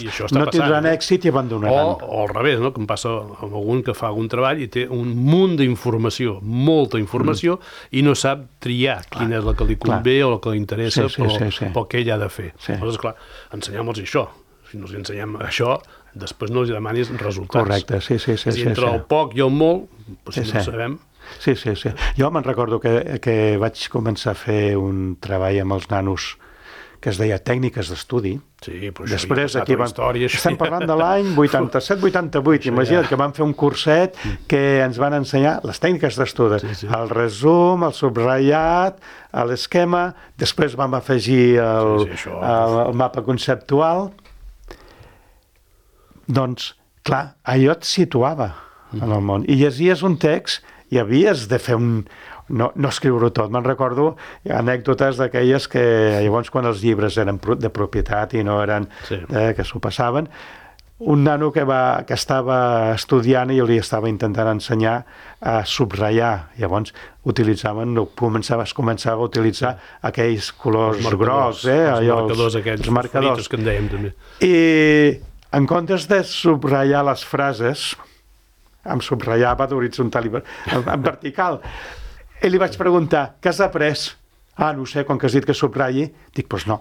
tindran èxit i abandonaran. O al revés, no? Que em passa amb algun que fa algun treball i té un munt d'informació, molta informació, i no sap triar quina és la que li convé o la que li interessa pel que ell ha de fer. Llavors, clar, ensenyem-los això. Si no els ensenyem això, després no els demanis resultats. Correcte, sí. Entre el poc i el molt, si no ho sabem... Sí. Jo me'n recordo que vaig començar a fer un treball amb els nanos que es deia Tècniques d'Estudi. Sí, però després aquí estem parlant de l'any 87-88. Imagina't que vam fer un curset que ens van ensenyar les tècniques d'estudi. El resum, el subratllat, l'esquema, després vam afegir el mapa conceptual. Doncs, clar, allò et situava en el món. I llegies un text i havies de fer no escriure-ho tot. Me'n recordo anècdotes d'aquelles que llavors quan els llibres eren de propietat i no eren que s'ho passaven, un nano que estava estudiant i jo li estava intentant ensenyar a subratllar. Llavors es començava a utilitzar aquells colors grocs, els marcadors que en dèiem també. I en comptes de subratllar les frases, em subratllava d'horitzontal en vertical. I li vaig preguntar, què has après? No sé, quan que has dit que subratlli. Dic, doncs no.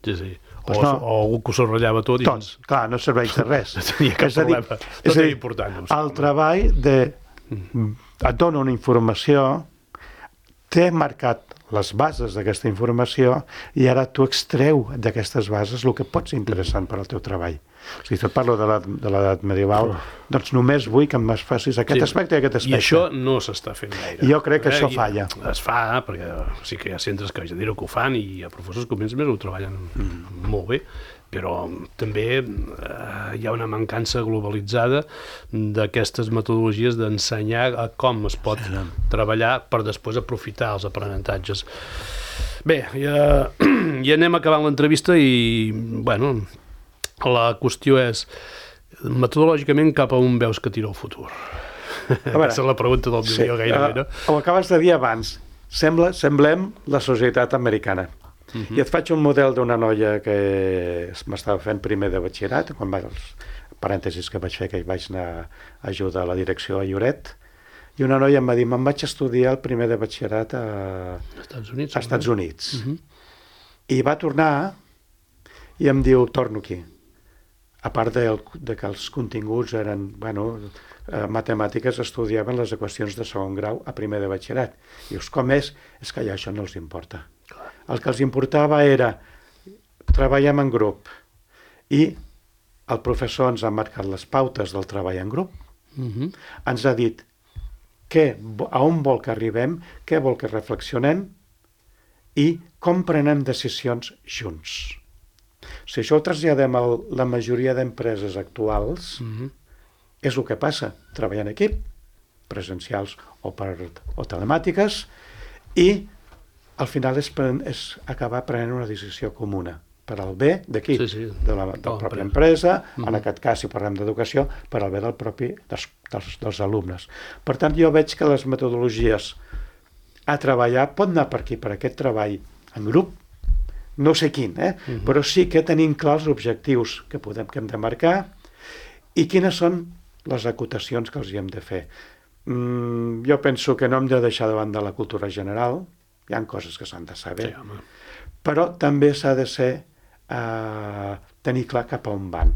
Sí. O algú que ho subratllava tot. Clar, no serveix de res. No tenia cap problema. Tot era important. El treball et dona una informació, t'he marcat les bases d'aquesta informació i ara tu extreu d'aquestes bases el que pot ser interessant per al teu treball. Si et parlo de l'edat medieval, doncs només vull que em facis aquest aspecte i aquest aspecte. I això no s'està fent gaire. Jo crec que això falla. Es fa, perquè sí que hi ha centres que que ho fan i hi ha professors que més ho treballen molt bé, però també hi ha una mancança globalitzada d'aquestes metodologies d'ensenyar com es pot treballar per després aprofitar els aprenentatges. Bé, ja anem acabant l'entrevista i, bueno, la qüestió és, metodològicament, cap a on veus que tira el futur? Aquesta és la pregunta del milió gairebé, no? Ho acabes de dir abans. Semblem la societat americana. I et faig un model d'una noia que m'estava fent primer de batxillerat, quan els parèntesis que vaig fer, que vaig anar a ajudar a la direcció a Lloret, i una noia em va dir, me'n vaig estudiar el primer de batxillerat a Estats Units. I va tornar i em diu, torno aquí. A part de que els continguts eren, matemàtiques, estudiaven les equacions de segon grau a primer de batxillerat. I dius, com és? És que ja això no els importa. El que els importava era treballem en grup i el professor ens ha marcat les pautes del treball en grup, ens ha dit a on vol que arribem, què vol que reflexionem i com prenem decisions junts. Si això ho traslladem a la majoria d'empreses actuals, és el que passa, treballar en equip, presencials o telemàtiques, i al final és acabar prenent una decisió comuna per al bé d'aquí, de la pròpia empresa, en aquest cas, si parlem d'educació, per al bé dels alumnes. Per tant, jo veig que les metodologies a treballar pot anar per aquí, per aquest treball en grup, no sé quin, però sí que tenim clars els objectius que hem de marcar i quines són les acotacions que els hi hem de fer. Jo penso que no hem de deixar de banda la cultura general, hi ha coses que s'han de saber, però també s'ha de ser tenir clar cap a on van.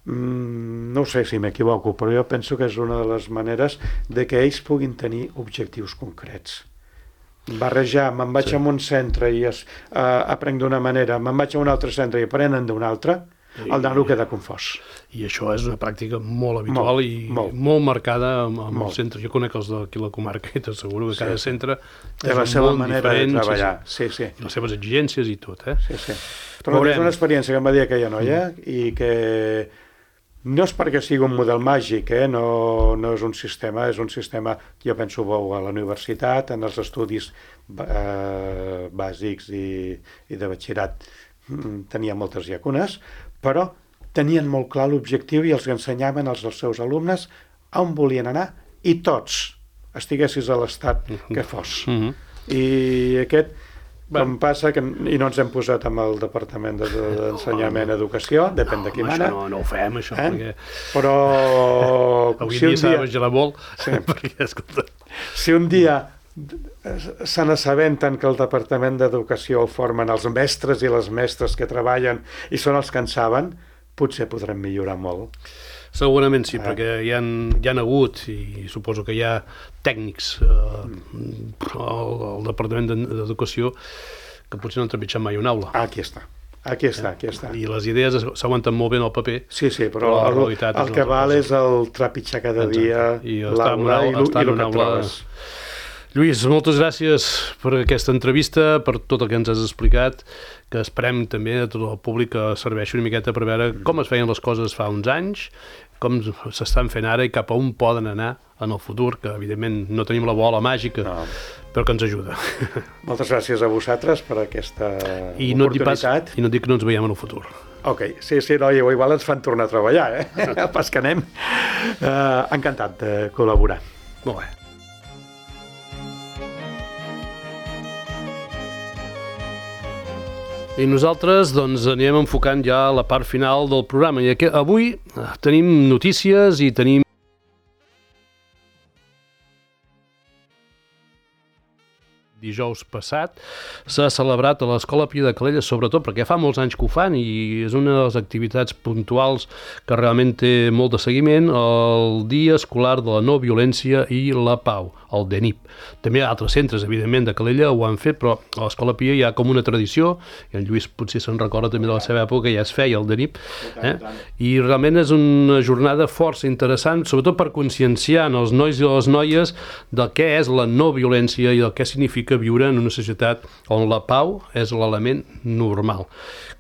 No sé si m'equivoco, però jo penso que és una de les maneres de que ells puguin tenir objectius concrets. Barrejar, me'n vaig a un centre i aprenc d'una manera, me'n vaig a un altre centre i aprenen d'una altra, el nano queda confós. I això és una pràctica molt habitual molt marcada amb els centres. Jo conec els d'aquí la comarca i t'asseguro que cada centre té la seva manera de treballar. Sí. I les seves exigències i tot, Sí. Però és una experiència que em va dir aquella noia i que no és perquè sigui un model màgic, no és un sistema, és un sistema, jo penso, bo a la universitat, en els estudis bàsics i de batxillerat tenia moltes llacunes, però tenien molt clar l'objectiu i els ensenyaven als seus alumnes on volien anar i tots, estiguessis a l'estat que fos. I aquest... Com passa que i no ens hem posat amb el Departament d'Ensenyament i Educació, depèn de qui mana. No ho fem, això, perquè... Però... Avui dia s'ha de vigilar molt, perquè, escolta... Si un dia se n'assabenten que el Departament d'Educació el formen els mestres i les mestres que treballen i són els que en saben, potser podrem millorar molt. Segurament sí, perquè hi han hagut, i suposo que hi ha tècnics al Departament d'Educació que potser no han trepitjat mai una aula. Aquí està. I les idees s'aguanten molt bé en el paper. Sí, però el que val és el trepitjar cada dia l'aula i el que trobes. Lluís, moltes gràcies per aquesta entrevista, per tot el que ens has explicat, que esperem també a tot el públic que serveixi una miqueta per veure com es feien les coses fa uns anys, com s'estan fent ara i cap a on poden anar en el futur, que evidentment no tenim la bola màgica, però que ens ajuda. Moltes gràcies a vosaltres per aquesta oportunitat. I no et dic que no ens veiem en el futur. Ok, sí, igual ens fan tornar a treballar, pas que anem. Encantat de col·laborar. Molt bé. I nosaltres doncs anirem enfocant ja la part final del programa. I avui tenim notícies i tenim dijous passat s'ha celebrat a l'Escola Pia de Calella, sobretot perquè fa molts anys que ho fan i és una de les activitats puntuals que realment té molt de seguiment, el Dia Escolar de la No Violència i la Pau, el DENIP. També altres centres, evidentment, de Calella ho han fet, però a l'Escola Pia hi ha com una tradició, i en Lluís potser se'n recorda també de la seva època, ja es feia el DENIP, i realment és una jornada força interessant, sobretot per conscienciar els nois i les noies del què és la no violència i del què significa viure en una societat on la pau és l'element normal.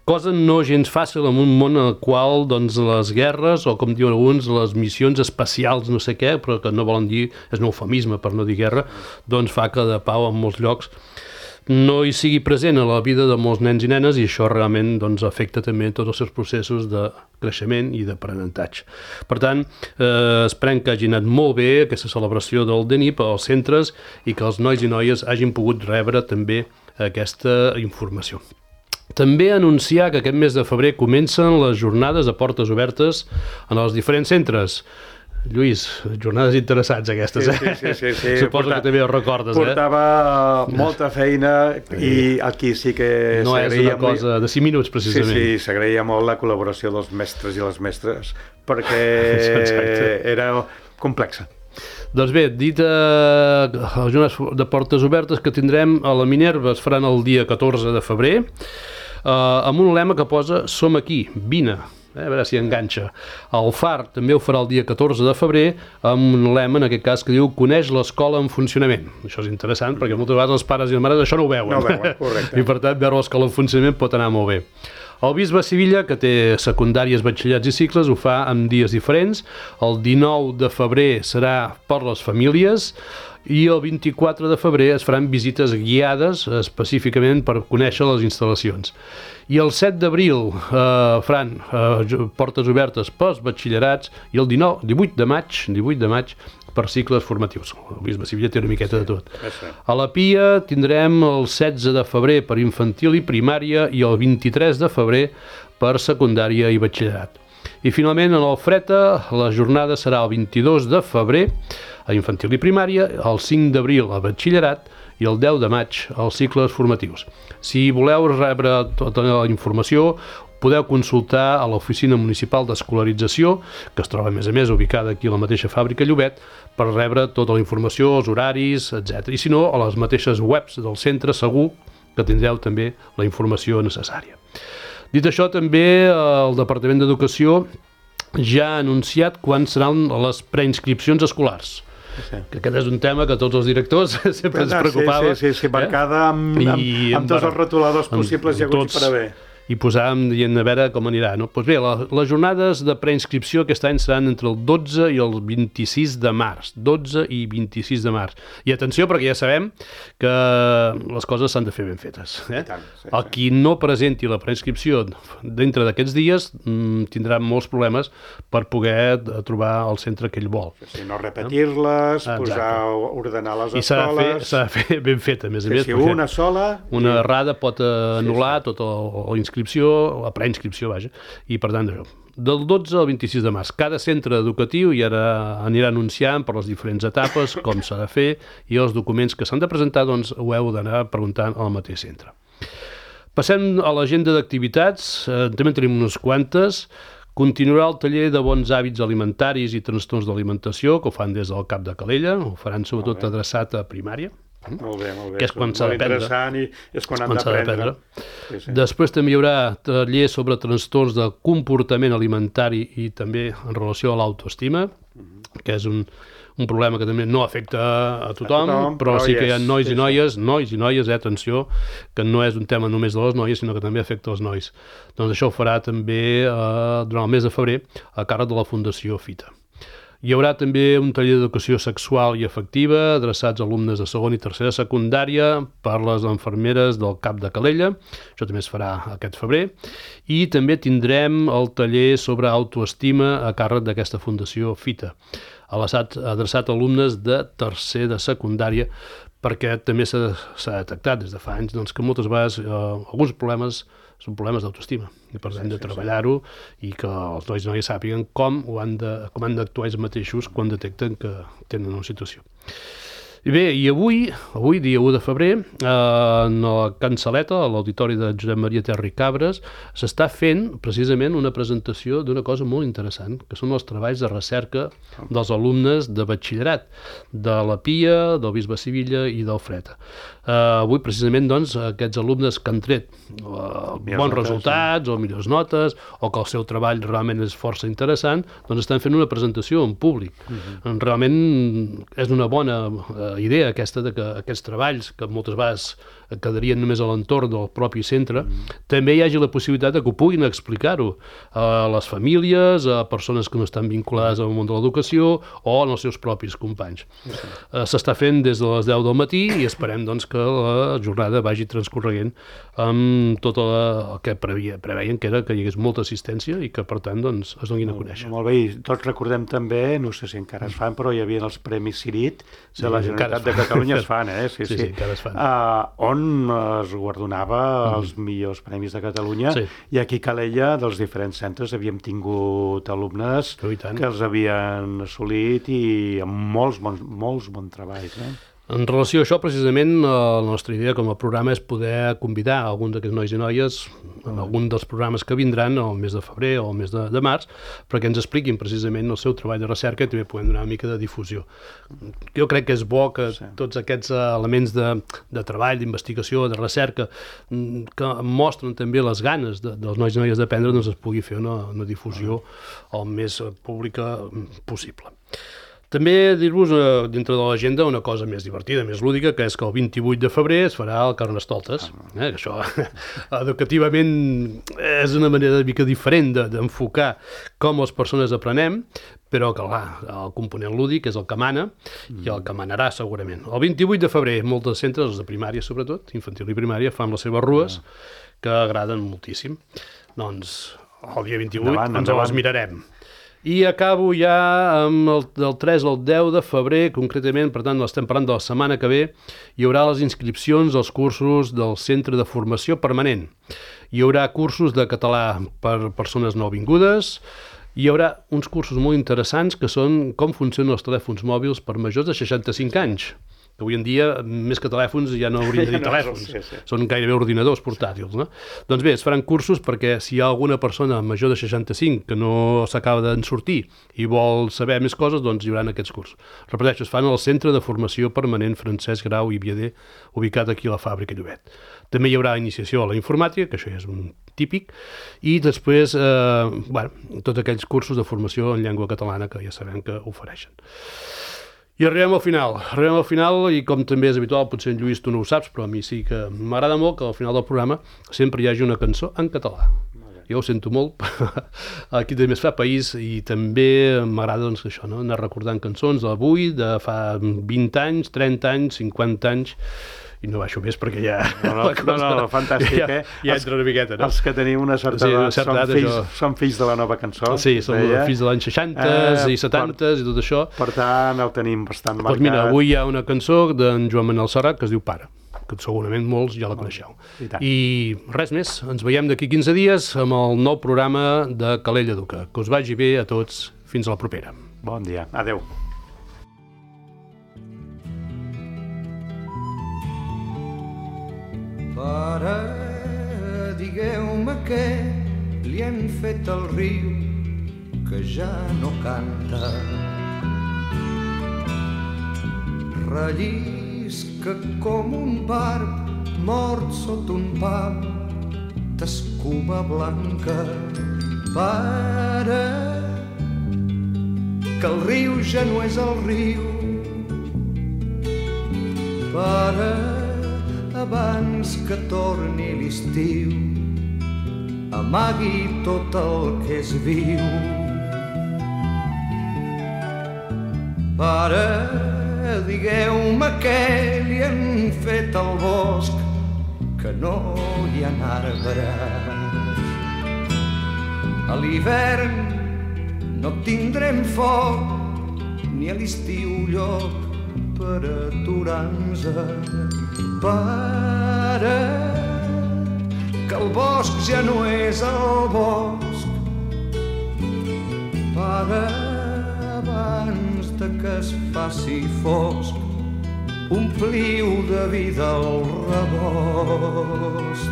Cosa no gens fàcil en un món en el qual doncs, les guerres, o com diuen alguns, les missions especials, no sé què, però que no volen dir, és un eufemisme per no dir guerra, doncs fa que de pau en molts llocs no hi sigui present a la vida de molts nens i nenes i això realment doncs, afecta també tots els seus processos de creixement i d'aprenentatge. Per tant, esperem que hagi anat molt bé aquesta celebració del DENIP als centres i que els nois i noies hagin pogut rebre també aquesta informació. També anunciar que aquest mes de febrer comencen les jornades de portes obertes en els diferents centres. Lluís, jornades interessants aquestes, Sí. Suposo que també ho recordes, Portava molta feina i aquí sí que no és una cosa de 5 minuts, precisament. Sí, s'agraïa molt la col·laboració dels mestres i les mestres, perquè era complexa. Doncs bé, dit les jornades de portes obertes que tindrem a la Minerva es faran el dia 14 de febrer, amb un lema que posa "Som aquí, vine". A veure si enganxa. El FAR també ho farà el dia 14 de febrer amb un lema, en aquest cas, que diu "Coneix l'escola en funcionament". Això és interessant perquè moltes vegades els pares i les mares això no ho veuen. No ho veuen, correcte. I per tant, veure l'escola en funcionament pot anar molt bé. El Bisbe Sevilla, que té secundàries, batxillerats i cicles, ho fa en dies diferents. El 19 de febrer serà per les famílies i el 24 de febrer es faran visites guiades específicament per conèixer les instal·lacions. I el 7 d'abril faran portes obertes pels batxillerats i el 18 de maig per cicles formatius. El Bisbe Sevilla té una miqueta de tot. A la Pia tindrem el 16 de febrer per infantil i primària i el 23 de febrer per secundària i batxillerat. I finalment, en el Freta, la jornada serà el 22 de febrer a infantil i primària, el 5 d'abril a batxillerat i el 10 de maig als cicles formatius. Si voleu rebre tota la informació, podeu consultar a l'Oficina Municipal d'Escolarització, que es troba, a més, ubicada aquí a la mateixa fàbrica Llobet, per rebre tota la informació, els horaris, etc. I si no, a les mateixes webs del centre segur que tindreu també la informació necessària. Dit això, també el Departament d'Educació ja ha anunciat quan seran les preinscripcions escolars. Sí. Que aquest és un tema que tots els directors sempre ens preocupava. Sí, marcada amb tots els rotuladors possibles i haguts per haver. I posàvem dient a veure com anirà. No? Doncs bé, les jornades de preinscripció aquest any seran entre el 12 i el 26 de març. 12 i 26 de març. I atenció, perquè ja sabem que les coses s'han de fer ben fetes. Tant, sí. El qui no presenti la preinscripció dintre d'aquests dies tindrà molts problemes per poder trobar el centre que ell vol. Sí, no repetir-les, ordenar les escoles... I s'ha de fer ben feta, a més a més. Si una sola... Una errada pot anul·lar tota la preinscripció, vaja, i per tant, del 12 al 26 de març, cada centre educatiu ja anirà anunciant per les diferents etapes com s'ha de fer i els documents que s'han de presentar, doncs ho heu d'anar preguntant al mateix centre. Passem a l'agenda d'activitats, també tenim unes quantes. Continuarà el taller de bons hàbits alimentaris i trastorns d'alimentació, que ho fan des del CAP de Calella, ho faran sobretot adreçat a primària. Molt bé. Que és quan s'ha d'aprendre. Molt interessant i és quan han d'aprendre. Sí. Després també hi haurà taller sobre trastorns de comportament alimentari i també en relació a l'autoestima, que és un problema que també no afecta a tothom, però sí que hi ha nois i noies, atenció, que no és un tema només de les noies, sinó que també afecta els nois. Doncs això ho farà també durant el mes de febrer a càrrec de la Fundació Fita. Hi haurà també un taller d'educació sexual i afectiva adreçats a alumnes de segon i tercera secundària per les infermeres del CAP de Calella. Això també es farà aquest febrer. I també tindrem el taller sobre autoestima a càrrec d'aquesta Fundació Fita, adreçat a alumnes de tercer de secundària, perquè també s'ha detectat des de fa anys que moltes vegades alguns problemes són problemes d'autoestima i per tant de treballar-ho i que els nois i noies sàpiguen com han d'actuar ells mateixos quan detecten que tenen una situació. I bé, i avui, dia 1 de febrer, en la Cansaleta, a l'Auditori de Josep Maria Terra i Cabres, s'està fent precisament una presentació d'una cosa molt interessant, que són els treballs de recerca dels alumnes de batxillerat, de la Pia, del Bisbe Sivilla i del Freta. Avui, precisament, doncs, aquests alumnes que han tret bons resultats o millors notes, o que el seu treball realment és força interessant, doncs estan fent una presentació en públic. Realment és una bona idea aquesta de que aquests treballs, que moltes vegades quedarien només a l'entorn del propi centre, també hi hagi la possibilitat que ho puguin explicar-ho a les famílies, a persones que no estan vinculades al món de l'educació o als seus propis companys. S'està fent des de les 10 del matí i esperem doncs, que la jornada vagi transcorreguent amb tot el que preveien, que era que hi hagués molta assistència i que, per tant, doncs, es donin a conèixer. Molt bé, i tots recordem també, no sé si encara es fan, però hi havia els Premis Cirit de la Generalitat de Catalunya, es fan, Sí, encara es fan. On es guardonava els millors premis de Catalunya, i aquí a Calella, dels diferents centres, havíem tingut alumnes que els havien assolit i amb molts bons treballs. En relació a això, precisament, la nostra idea com a programa és poder convidar alguns d'aquests nois i noies en algun dels programes que vindran el mes de febrer o el mes de març perquè ens expliquin precisament el seu treball de recerca i també podem donar una mica de difusió. Jo crec que és bo que tots aquests elements de treball, d'investigació, de recerca, que mostren també les ganes dels nois i noies d'aprendre, doncs es pugui fer una difusió el més pública possible. També dir-vos, dintre de l'agenda, una cosa més divertida, més lúdica, que és que el 28 de febrer es farà el Carnestoltes. Això, educativament, és una manera una mica diferent d'enfocar com les persones aprenem, però que, clar, el component lúdic és el que mana i el que manarà segurament. El 28 de febrer, molts centres, els de primària sobretot, infantil i primària, fan les seves rues, que agraden moltíssim. Doncs el dia 28 ens les mirarem. I acabo ja amb del 3 al 10 de febrer, concretament, per tant, estem parlant de la setmana que ve, hi haurà les inscripcions als cursos del Centre de Formació Permanent. Hi haurà cursos de català per persones nouvingudes, hi haurà uns cursos molt interessants que són com funcionen els telèfons mòbils per majors de 65 anys. Que avui en dia, més que telèfons, ja no haurien de dir telèfons. Són gairebé ordinadors portàtils, no? Doncs bé, es faran cursos perquè si hi ha alguna persona major de 65 que no s'acaba d'en sortir i vol saber més coses, doncs hi haurà aquests cursos. Repeteixo, es fan al Centre de Formació Permanent Francesc Grau i Viader, ubicat aquí a la Fàbrica Llobet. També hi haurà iniciació a la informàtica, que això ja és un típic, i després, tots aquells cursos de formació en llengua catalana que ja sabem que ofereixen. I arribem al final i com també és habitual, potser en Lluís tu no ho saps, però a mi sí que m'agrada molt que al final del programa sempre hi hagi una cançó en català. Jo ho sento molt, aquí també es fa país i també m'agrada doncs, això, no? Anar recordant cançons d'avui, de fa 20 anys, 30 anys, 50 anys, i no baixo més perquè ja... No, fantàstic, ja entra una miqueta, no? Els que tenim una certa edat són fills de la nova cançó. Sí, som fills de l'any 60 i 70 i tot això. Per tant, el tenim bastant marcat. Doncs mira, avui hi ha una cançó d'en Joan Manel Serrat que es diu Pare, que segurament molts ja la coneixeu. I res més, ens veiem d'aquí 15 dies amb el nou programa de Calella Educa. Que us vagi bé a tots, fins a la propera. Bon dia, adeu. Pare, digueu-me què li han fet al riu que ja no canta. Rellisca com un barb mort sota un pam d'escuma blanca. Pare, que el riu ja no és el riu. Pare, abans que torni l'estiu, amagui tot el que és viu. Pare, digueu-me què li han fet al bosc, que no hi ha arbres. A l'hivern no tindrem foc, ni a l'estiu lloc per aturar-nos. Pare, que el bosc ja no és el bosc. Pare, abans de que es faci fosc, ompliu de vida el rebost.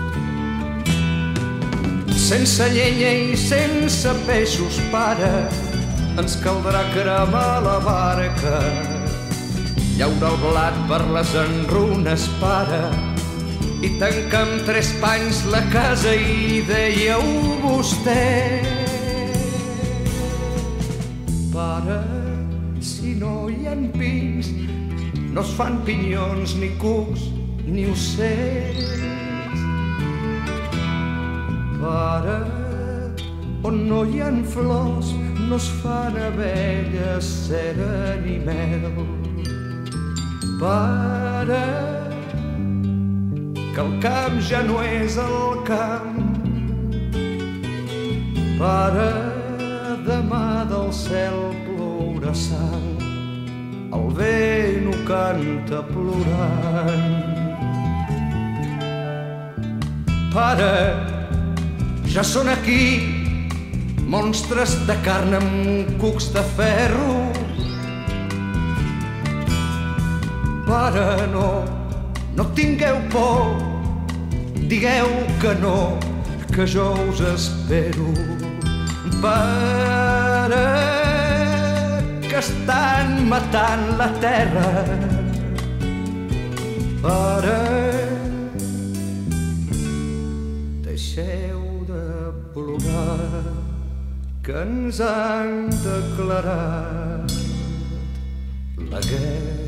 Sense llenya i sense peixos, pare, ens caldrà cremar la barca. Llaura el blat per les enrunes, pare, i tancar amb 3 panys la casa i dèieu vostè. Pare, si no hi ha pins, no es fan pinyons, ni cucs, ni ocells. Pare, on no hi ha flors, no es fan abelles, cera ni mel. Pare, que el camp ja no és el camp. Pare, demà del cel plourà sang, el vent ho canta plorant. Pare, ja són aquí monstres de carn amb cucs de ferro. Pare, no tingueu por, digueu que no, que jo us espero. Pare, que estan matant la terra. Pare, deixeu de plorar, que ens han declarat la guerra.